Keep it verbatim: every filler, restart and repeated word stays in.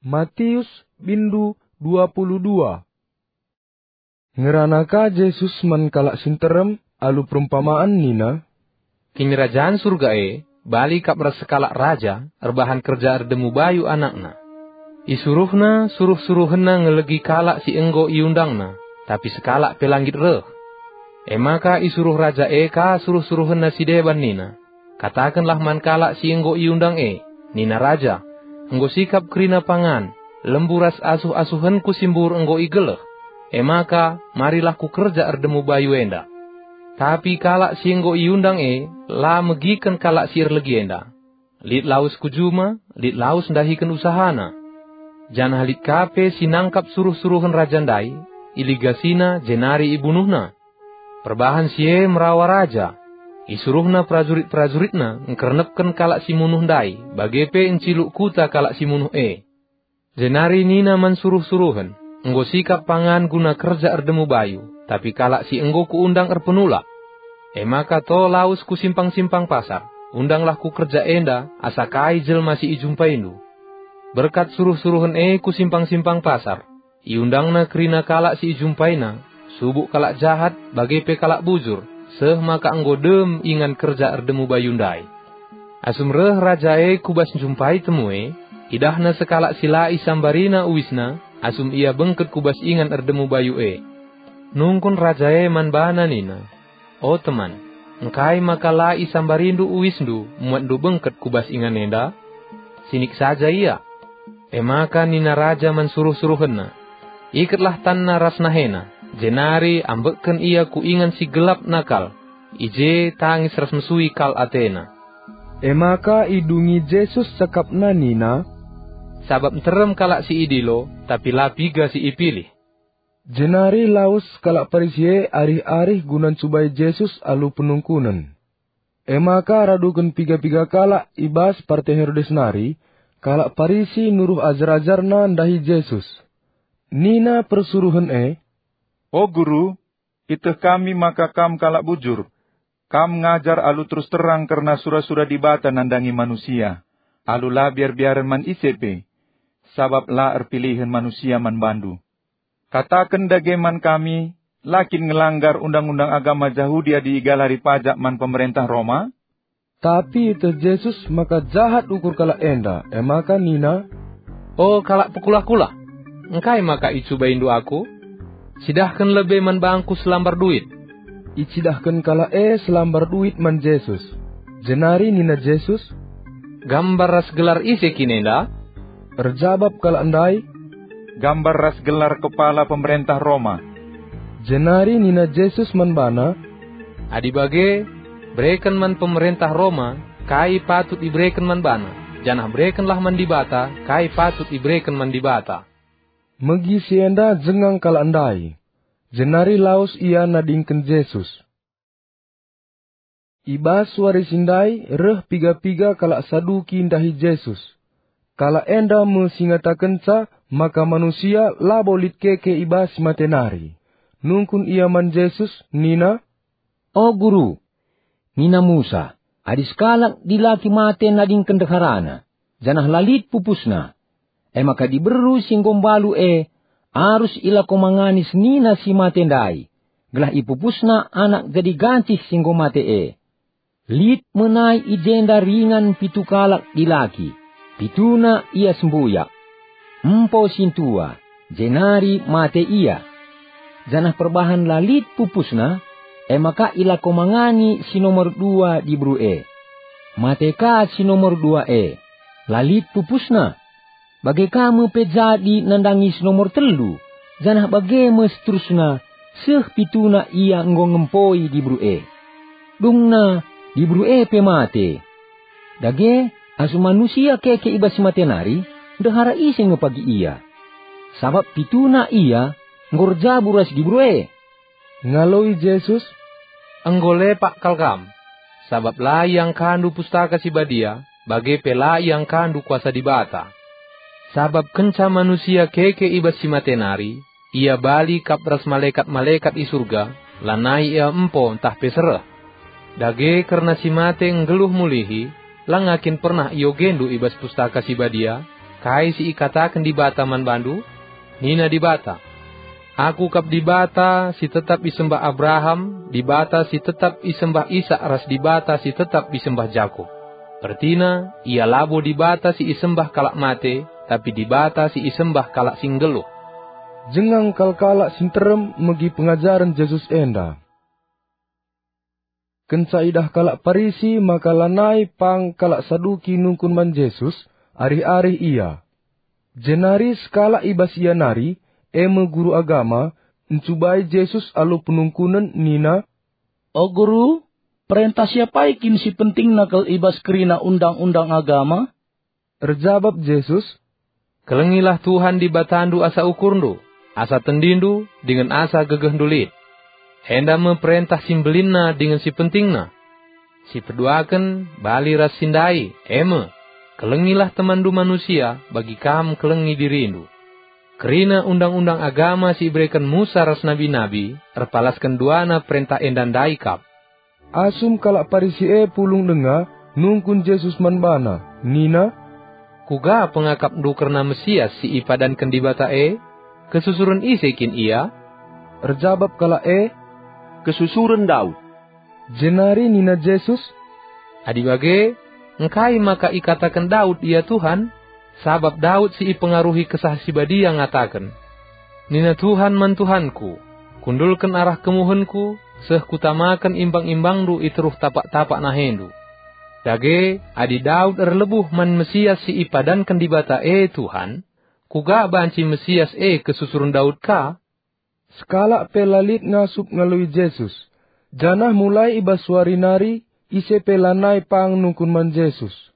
Matius bindu dua puluh dua. Ngerana ka Jesus man kalak si nterem alu perumpamaan nina, "Kinirajan Surga e bali kap ras sekalak raja erbahan kerja erdemu bayu anakna. Isuruhna suruh-suruhenna ngelegi kalak si enggo iundangna, tapi sekalak pe la nggit reh. E maka isuruh raja e ka suruh-suruhenna si deban nina, 'Katakenlah man kalak si enggo iundang e, nina raja, enggo sikap kerina pangan, lembu ras asuh-asuhenku si mbur enggo igeleh. E maka, marilah ku kerja erdemu bayu enda.' Tapi kalak si enggo iundang e la megiken kalak si erlegi enda. Lit lawes ku juma, lit lawes ndahiken usahana. Janah lit ka pe si nangkap suruh-suruhen raja ndai, iligasina jenari ibunuhna. Perbahan si e merawa raja. Isuruhna perajurit-perajuritna ngkernepken kalak si munuh ndai, bage pe enciluk kuta kalak si munuh e. Jenari nina man suruh-suruhen, 'Enggo sikap pangan guna kerja erdemu bayu, tapi kalak si enggo kuundang erpenulak. E maka to lawes ku simpang-simpang pasar, undanglah ku kerja enda asa kai jelma si ijumpaindu.' Berkat suruh-suruhen e ku simpang-simpang pasar, iundangna kerina kalak si ijumpaina, subuk kalak jahat, bage pe kalak bujur, seh maka enggo dem ingan kerja erdemu bayu ndai. Asum reh raja e ku bas njumpai temu e, idahna sekalak si la isambarina uisna asum ia bengket ku bas ingan erdemu bayu e. Nungkun raja e man bana nina, 'O teman, engkai maka la isambarindu uisndu muatndu bengket ku bas ingan enda?' Sinik saja ia." E maka nina raja man suruh-suruhenna, 'Iketlah tanna ras nahena, jenari ambekken ia ku ingan si gelap nakal, i je tangis ras mesui kal atena.'" E maka idungi Jesus cakapna nina, "Sabap nterem kalak si idilo, tapi la piga si ipilih." Jenari lawes kalak Parisi e arih-arih guna ncubai Jesus alu penungkunen. E maka raduken piga-piga kalak i bas parte Herodes nari, kalak Parisi nuruh ajar-ajarna ndahi Jesus. Nina persuruhen e, "O Guru, ieteh kami maka Kam kalak bujur. Kam ngajar alu terus terang kerna sura-sura Dibata nandangi manusia, alu la biar-biaren man ise pe, sabap la erpilihen manusia man bandu. Kataken dage man kami, la kin ngelanggar undang-undang agama Jahudi adi igalari pajak man pemerentah Roma?" Tapi ieteh Jesus maka jahat ukur kalak enda, e maka nina, "O kalak pekulah-kulah, engkai maka icubaindu Aku? Cidahken lebe man bangku selambar duit." Icidahken kalak e selambar duit man Jesus. Jenari nina Jesus, "Gambar ras gelar ise kin enda?" Erjabap kalak ndai, "Gambar ras gelar kepala pemerentah Roma." Jenari nina Jesus man bana, "Adi bage, bereken man pemerentah Roma kai patut ibereken man bana, janah berekenlah man Dibata kai patut ibereken man Dibata." Megi si enda jengang kalak ndai, jenari lawes ia nadingken Jesus. I bas wari si ndai reh piga-piga kalak Saduki ndahi Jesus. Kalak enda me si ngatakenca maka manusia labo lit keke i bas si mate nari. Nungkun ia man Jesus nina, "O Guru, nina Musa, adi sekalak dilaki mate nadingken ndeharana, janah la lit pupusna, e maka diberu si enggo mbalu e arus ilakomangani senina si mate ndai, gelah ipupusna anak jadi gancih si enggo mate e. Lit me nai i jenda ringan pitu kalak dilaki, pituna ia sembuyak. Empo sintua, jenari mate ia. Janah perbahan la lit pupusna, e maka ilakomangani si nomor dua diberu e. Mate ka si nomor dua e, la lit pupusna. Bage ka me pe jadi nandangi si nomor telu, janah bage me seterusna seh pituna ia enggo ngempoi diberu e. Dungna diberu e pe mate. Dage, asum manusia keke i bas si mate nari, ndehara ise nge pagi ia? Sabap pituna ia enggo erjabu ras diberu e." Ngaloi Jesus, "Enggo lepak kal kam, sabap la iangkandu Pustaka Si Badia, bage pe la iangkandu kuasa Dibata. Sabap kenca manusia keke i bas si mate nari, ia bali kap ras malekat-malekat i Surga, lanai ia empo ntah pe sereh. Dage kerna si mate nggeluh mulihi, langa kin pernah iogendu i bas Pustaka Si Badia?" kai si ikataken Dibata man bandu?" Nina Dibata, "Aku kap Dibata si tetap isembah Abraham, Dibata si tetap isembah Isak ras Dibata si tetap isembah Jakup." Ertina, Ia labo Dibata si isembah kalak mate, tapi Dibata si isembah kalak si nggeluh. Jengang kal kalak si nterem megi pengajaren Jesus enda. Kenca idah kalak Parisi maka lanai pang kalak Saduki nungkun man Jesus, arih-arih ia. Jenari sekalak i bas ia nari, e me guru agama, ncubai Jesus alu penungkunen nina, "O Guru, perentah si apai kin si pentingna kal i bas kerina undang-undang agama?" Erjabap Jesus, "Kelengilah Tuhan Dibatandu asa ukurndu, asa tendindu, dingen asa gegehndu lit. Enda me perentah si mbelinna dingen si pentingna. Si peduaken bali ras si ndai, e me, 'Kelengilah temanndu manusia bagi kam kelengi dirindu.' Kerina undang-undang agama si ibereken Musa ras nabi-nabi, erpalasken duana perentah enda ndai kap." Asum kalak Parisi e pulung denga, nungkun Jesus man bana, nina, "Kuga pengakapndu kerna Mesias si ipadanken Dibata e? Kesusuren ise kin ia?" Erjabap kalak e, "Kesusuren Daud." Jenari nina Jesus, "Adi bage, engkai maka ikataken Daud ia Tuhan? Sabap Daud si ipengaruhi Kesah Si Badia ngataken, 'Nina Tuhan man Tuhanku, Kundulken arah kemuhenKu, seh Kutamaken imbang-imbangNdu i teruh tapak-tapak naheNdu.' Dage, adi Daud erlebuh man Mesias si ipadanken Dibata e Tuhan, kuga banci Mesias e kesusuren Daud ka?" Sekalak pe la lit ngasup ngaloi Jesus, janah mulai i bas wari nari ise pe lanai pang nungkun man Jesus.